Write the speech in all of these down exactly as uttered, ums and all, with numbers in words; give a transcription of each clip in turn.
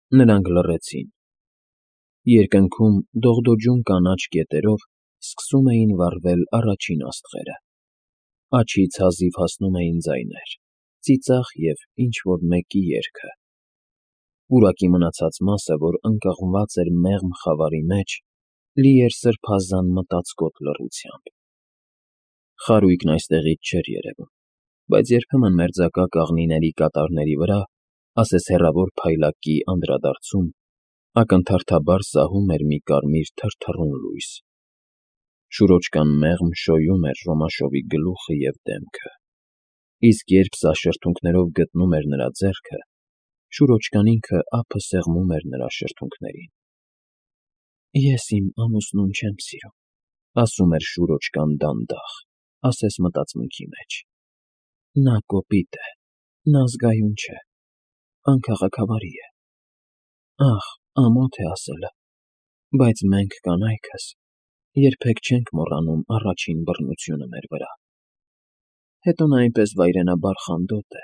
Նրանք լռեցին։ Երկնքում դողդոջուն կանաչ կետերով սկսում էին վառվել առաջին աստղերը, աջից հազիվ հասնում էին ձայներ, ծիծաղ և ինչ֊որ մեկի երգը։ Պուրակի մնացած մասը, որ ընկղմված էր մեղմ խավարի մեջ, լի էր սրբազան մտածկոտ լռությամբ։ Խարույկն այստեղից չէր երևում, բայց երբեմն մերձակա կաղնիների կատարների վրա, ասես հեռավոր փայլակի անդրադարձում, ակնթարթաբար սահում էր մի կարմիր թրթռուն լույս։ Շուրոջկան մեղմ շոյում էր Ռոմաշովի գլուխը և դեմքը, իսկ երբ սա շրթունքներով գտնում էր նրա ձեռքը, շուրոջկան ինքը ափը սեղմում էր նրա շրթունքներին։ «Ես իմ ամուսնուն չեմ սիրում,֊ ասում էր շուրոջկան դանդաղ, ասես մտածմունքի մեջ,֊ նա կոպիտ է, նա զգայուն չէ, անքաղաքավարի է։ Ախ, ամոթ է ասելը, բայց մենք կանայքս երբեք չենք մոռանում առաջին բռնությունը մեր վրա։ Հետո նա այնպես վայրենաբար խանդոտ է,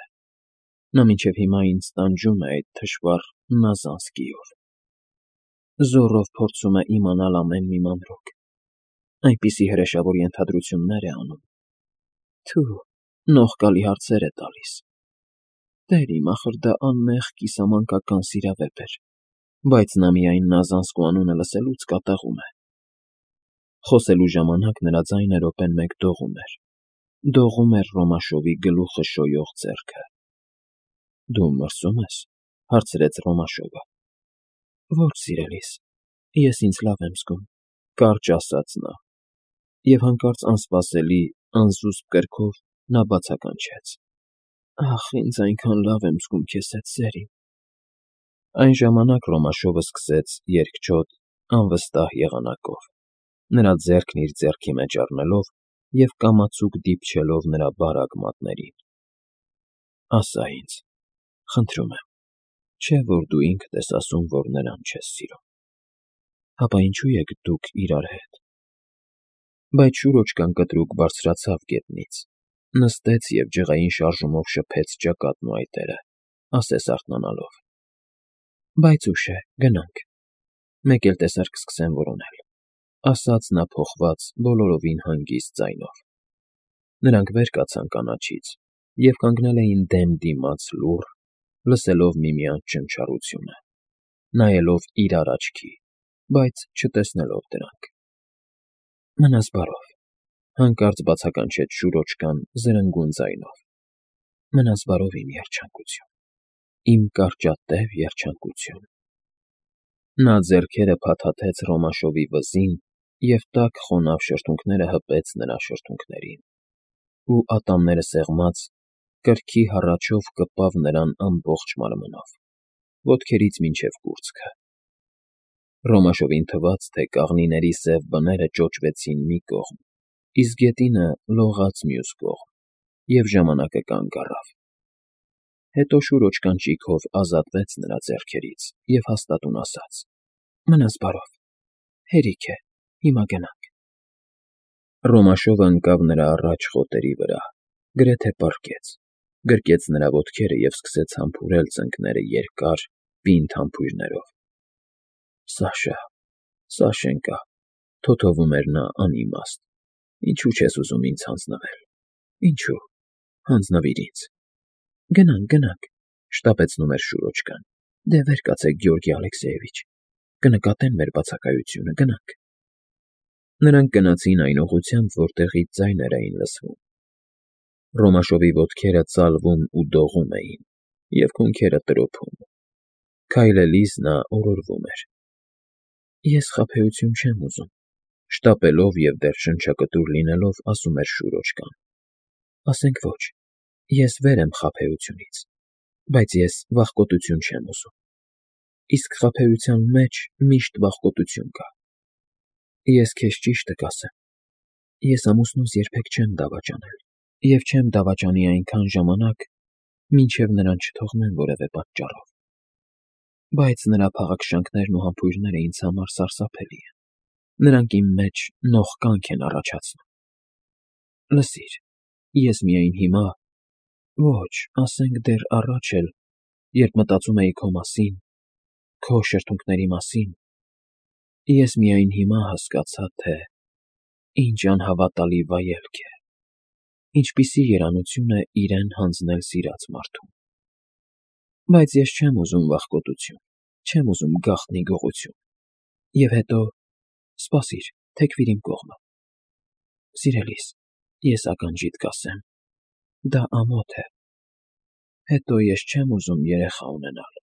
նա մինչև հիմա ինձ տանջում է այդ թշվառ նազանսկիով, զոռով փորձում է իմանալ ամեն մի մանրուք, այնպիսի հրեշավոր ենթադրություններ է անում, թո՛ւ, նողկալի հարցեր է տալիս։ Տեր իմ, ախր դա անմեղ կիսամանկական սիրավեպ էր, բայց նա միայն Նազանսկու անունը լսելուց կատաղում է»։ Խոսելու ժամանակ նրա ձայնը րոպեն մեկ դողում էր, դողում էր Ռոմաշովի գլուխը շոյող ձեռքը։ «Դու մրսո՞ւմ ես,֊ հարցրեց Ռոմաշովը։ «Ոչ, սիրելիս, ես ինձ լավ եմ զգում,֊ կարճ ասաց նա, և հանկարծ անսպասելի, անզուսպ կրքով նա բացականչեց. «Ախ, ինձ այնքան լավ եմ զգում քեզ հետ, սեր իմ»։ Այն ժամանակ Ռոմաշովը սկսեց երկչոտ, անվստահ եղանակով, նրա ձեռքն իր ձեռքի մեջ առնելով և կամացուկ դիպչելով նրա բարակ մատներին։ «Ասա ինձ, խնդրում եմ, չէ՞ որ դու ինքդ ես ասում, որ նրան չես սիրում։ Հապա ինչու եք դուք իրար հետ»։ Բայց շուրոջկան կտրուկ բարձրացավ գետնից, նստեց և ջղային շարժումով շփեց ճակատն ու այտերը, ասես արթնանալով. «Բայց ուշ է, գնանք, մեկ էլ տեսար կսկսեն որոնել»,֊ ասաց նա փոխված, բոլորովին հանգիստ ձայնով։ Նրանք վեր կացան կանաչից և կանգնել էին դեմ դիմաց լուռ, լսելով միմյանց ճնչառությունը, նայելով իրար աչքի, բայց չտեսնելով դրանք։ «Մնաս բարով,֊ հանկարծ բացականչեց շուրոջկան զրնգուն ձայնով,֊ մնաս բարով, իմ երջանկություն, իմ կարճատև երջանկություն»։ Նա ձեռքերը փաթաթեց Ռոմաշովի վզին և տաք խոնավ շրթունքները հպեց նրա շրթունքներին, ու ատամները սեղմած, կրքի հառաչով կպավ նրան ամբողջ մարմնով, ոտքերից մինչև կուրծքը։ Ռոմաշովին թվաց, թե կաղնիների սև բները ճոճվեցին մի կողմ, իսկ գետինը լողաց մյուս կողմ, և ժամանակը կանգ առավ։ Հետո շուրոջկան ճիգով ազատվեց նրա ձեռքերից և հաստատուն ասաց. «Մնաս բարով, հերիք է, հիմա գնանք»։ Ռոմաշովը ընկավ նրա առաջ խոտերի վրա, գրեթե պառկեց, գրկեց նրա ոտքերը և սկսեց համբուրել ծնկները երկար, պինդ համբույրներով։ «Սաշա, Սաշենկա,֊ թոթովում էր նա անիմաստ,֊ ինչո՞ւ չես ուզում ինձ հանձնվել, ինչո՞ւ, հանձնվիր ինձ»։ «Գնանք, գնանք,֊ շտապեցնում էր շուրոջկան,֊ դե վեր կացեք, Գեորգի Ալեքսեևիչ, կնկատեն մեր բացակայությունը, գնանք»։ Նրանք գնացին այն ուղղությամբ, որտեղից ձայներ էին լսվում։ Ռոմաշովի ոտքերը ծալվում ու դողում էին, և քունքերը տրոփում։ Քայլելիս նա օրորվում էր. «Ես խաբեություն չեմ ուզում,֊ շտապելով և դեռ շնչակտուր լինելով, ասում էր շուրոջկան,֊ ասենք ոչ, ես վեր եմ խաբեությունից, բայց ես վախկոտություն չեմ ուզում, իսկ խաբեության մեջ միշտ վախկոտություն կա։ Ես քեզ ճիշտը կասեմ, ես ամուսնուս երբեք չեմ դավաճանել և չեմ դավաճանի այնքան ժամանակ, մինչև նրան չթողնեմ որևէ պատճառով։ Բայց նրա փաղաքշանքներն ու համբույրները ինձ համար սարսափելի են, նրանք իմ մեջ նողկանք են առաջացնում։ Լսիր, ես միայն հիմա, ոչ, ասենք դեռ առաջ էլ, երբ մտածում էի քո մասին, Քո շրթունքների մասին ես միայն հիմա հասկացա, թե ինչ անհավատալի վայելք է, ինչպիսի երանություն է իրեն հանձնել սիրած մարդուն։ Բայց ես չեմ ուզում վախկոտություն, չեմ ուզում գաղտնի գողություն։ Եվ հետո, սպասիր, թեքվիր իմ կողմը։ Սիրելիս, ես ականջիդ կասեմ, դա ամոթ է։ Հետո ես չեմ ուզում երեխա ունենալ։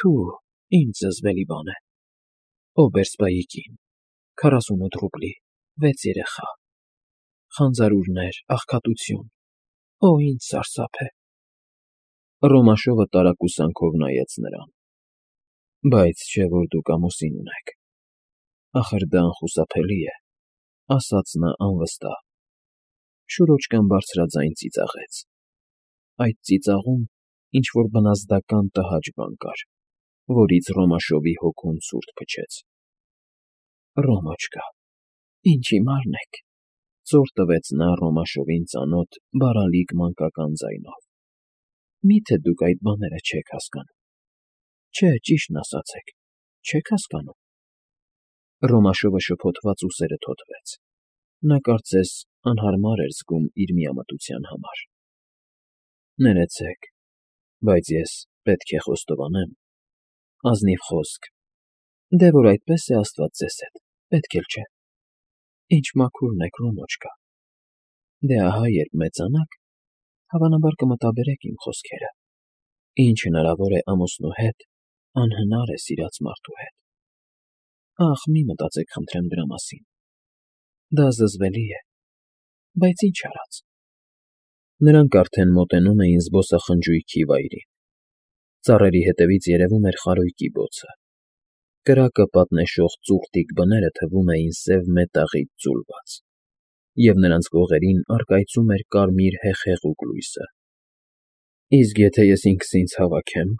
Թու, ինչ զզվելի բան է։ Օբերսպայի կին, քառասունութ ռուբլի, վեց երեխա, խանձարուրներ, աղքատություն, օ, ինչ սարսափ է։ Ռոմաշովը տարակուսանքով նայեց նրան։ Բայց չէ՞ որ դուք ամուսին ունեք։ Ախր դա անխուսափելի է, ասաց նա անվստահ։ Շուրոջկան բարձրաձայն ծիծաղեց։ Այդ ծիծաղում ինչ֊որ բնազդական տհաճ բան կար, որից Ռոմաշովի հոգուն ցուրտ փչեց։ Ռոմոչկա, ինչ հիմարն եք, ծոր տվեց նա Ռոմաշովին ծանոթ բարալիկ մանկական ձայնով։ Մի՞թե դուք այդ բաները չեք հասկանում։ Չէ, ճիշտն ասացեք, չե՞ք հասկանում։ Ռոմաշովը շփոթված ուսերը թոթվեց։ Նա կարծես անհարմար էր զգում իր միամտության համար։ Ներեցեք, բայց ես պետք է խոստովանեմ, ազնիվ խոսք, դե որ այդպես է Աստված ձեզ հետ, պետք էլ չէ։ Ինչ մաքուրն եք, Ռոմոչկա։ Դե ահա երբ մեծանաք, հավանաբար կմտաբերեք իմ խոսքերը։ Ինչ հնարավոր է ամուսնու հետ, անհնար է սիրած մարդու հետ։ Ախ, մի մտածեք խնդրեմ դրա մասին։ Դա զզվելի է, բայց ինչ արած։ Նրանք արդեն մոտենում էին զբոսախնջույքի վայրին։ Ծառերի հետևից երևում էր խարույկի բոցը։ Կրակը պատնեշող ծուռտիկ բները թվում էին սև մետաղից ձուլված, և նրանց կողերին առկայծում էր կարմիր հեխեղուկ լույսը։ Իսկ եթե ես ինքս ինձ հավաքեմ,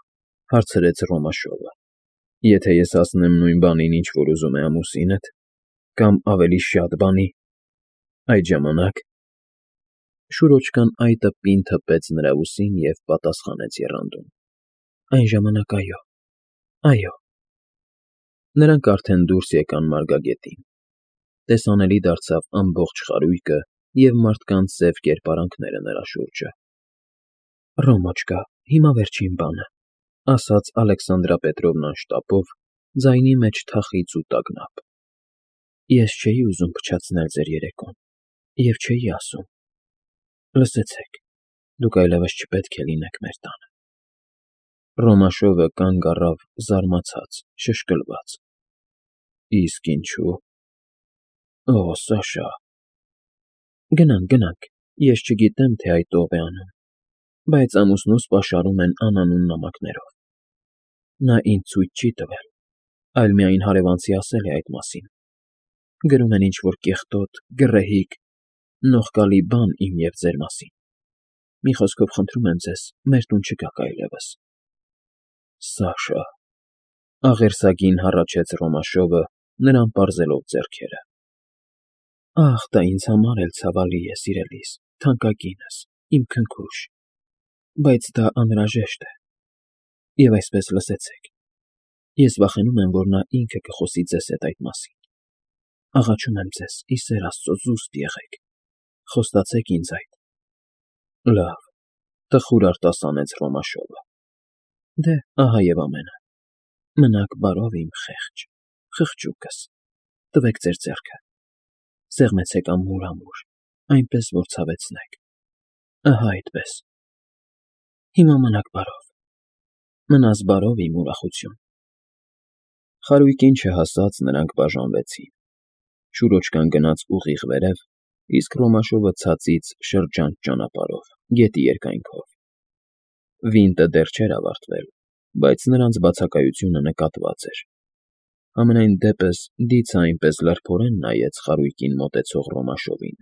հարցրեց Ռոմաշովը, եթե ես ասնեմ նույն բանին, ինչ որ ուզում է ամուսինդ, կամ ավելի շատ բանի, այդ ժամանակ… Շուրոջկան այտը պինդ հպեց նրա ուսին և պատասխանեց եռանդուն. Այն ժամանակ այո, այո։ Նրանք արդեն դուրս եկան մարգագետին։ Տեսանելի դարձավ ամբողջ խարույկը և մարդկանց սև կերպարանքները նրա շուրջը։ Ռոմոչկա, հիմա վերջին բանը, ասաց Ալեքսանդրապետրովնան շտապով, ձայնի մեջ թախիծ ու տագնապ։ Ես չէի ուզում փչացնել ձեր երեկոն և չէի ասում։ Լսեցեք, դուք այլևս չպետք է լինեք մեր տանը։ Ռոմաշովը կանգ առավ զարմացած, շշկլված։ Իսկ ինչու՞։ Օ, Սաշա… Գնանք, գնանք, ես չգիտեմ, թե այդ ով է անում, բայց ամուսնուս պաշարում են անանուն նամակներով։ Նա ինձ ցույց չի տվել, այլ միայն հարևանցի ասել է այդ մասին։ Գրում են ինչ֊որ կեղտոտ, գռեհիկ, նողկալի բան իմ և ձեր մասին։ Մի խոսքով, խնդրում եմ ձեզ, մեր տուն չգաք այլևս։ Սաշա… Աղերսագին հառաչեց Ռոմաշովը, նրան պարզելով ձեռքերը։ Ախ, դա ինձ համար էլ ցավալի է, սիրելիս, թանկագինս, իմ քնքուշ, բայց դա անհրաժեշտ է։ Եվ այսպես, լսեցեք, ես վախենում եմ, որ նա ինքը կխոսի ձեզ հետ այդ մասին։ Աղաչում եմ ձեզ, ի սեր Աստծո, զուսպ եղեք, խոստացեք ինձ այդ։ Լավ, տխուր արտասանեց Ռոմաշովը։ Դե, ահա և ամենը։ Մնաք բարով, իմ խեղճ, խղճուկս, տվեք ձեր ձեռքը, սեղմեցեք ամուր֊ամուր, այնպես, որ ցավեցնեք, ահա այդպես։ Հիմա մնաք բարով, մնաս բարով, իմ ուրախություն։ Խարույկին չհասած նրանք բաժանվեցին։ Շուրոջկան գնաց ուղիղ վերև, իսկ Ռոմաշովը ցածից շրջանց ճանապարհով, գետի երկայնքով։ Վինտը դեռ չէր ավարտվել, բայց նրանց բացակայությունը նկատված էր։ Համենայն դեպս դիցը այնպես լրբորեն նայեց խարույկին մոտեցող Ռոմաշովին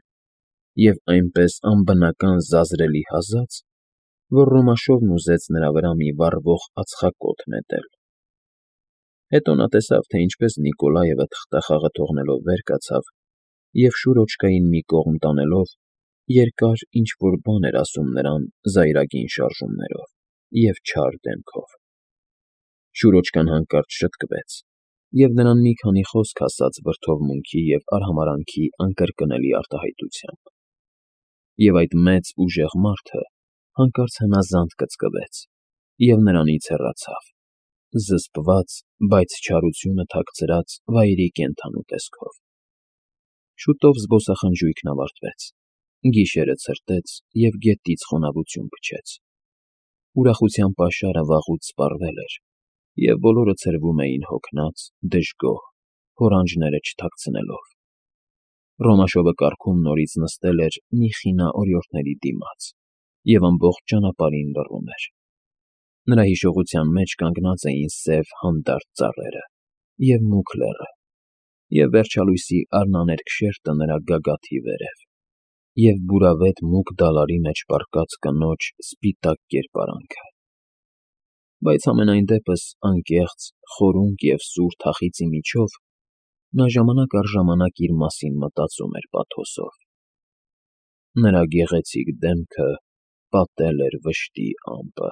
և այնպես անբնական զազրելի հազաց, որ Ռոմաշովն ուզեց նրա վրա մի վառվող ածխակոթ նետել։ Հետո նա տեսավ, թե ինչպես Նիկոլաևը թղթախաղը թողնելով վեր կացավ և Շուրոջկային մի կողմ տանելով, երկար ինչ֊որ բան էր ասում նրան զայրագին շարժումներով և չար դեմքով։ Շուրոջկան հանկարծ շտկվեց, և նրան մի քանի խոսք ասաց վրդովմունքի և արհամարհանքի անկրկնելի արտահայտությամբ, և այդ մեծ, ուժեղ մարդը հանկարծ հնազանդ կծկվեց և նրանից հեռացավ, զսպված, բայց չարությունը թաքցրած վայրի կենդանու տեսքով։ Շուտով զբոսախնջույքն ավարտվեց, գիշերը ցրտեց և գետից խոնավություն փչեց։ Ուրախության պաշարը վաղուց սպառվել էր, և բոլորը ցրվում էին հոգնած, դժգոհ, հորանջները չթաքցնելով։ Ռոմաշովը կառքում նորից նստել էր մի խինա օրիորդների դիմաց և ամբողջ ճանապարհին լռում էր։ Նրա հիշողության մեջ կանգնած էին սև հանդարտ ծառերը և մուգ լեռը, և վերջալույսի արնաներկ շերտը նրա գագաթի վերև, և բուրավետ մուգ դալարի մեջ պառկած կնոջ սպիտակ կերպարանքը։ Բայց համենայն դեպս անկեղծ, խորունկ և սուր թախիծի միջով նա ժամանակ առ ժամանակ իր մասին մտածում էր պաթոսով. նրա գեղեցիկ դեմքը պատել էր վշտի ամպը։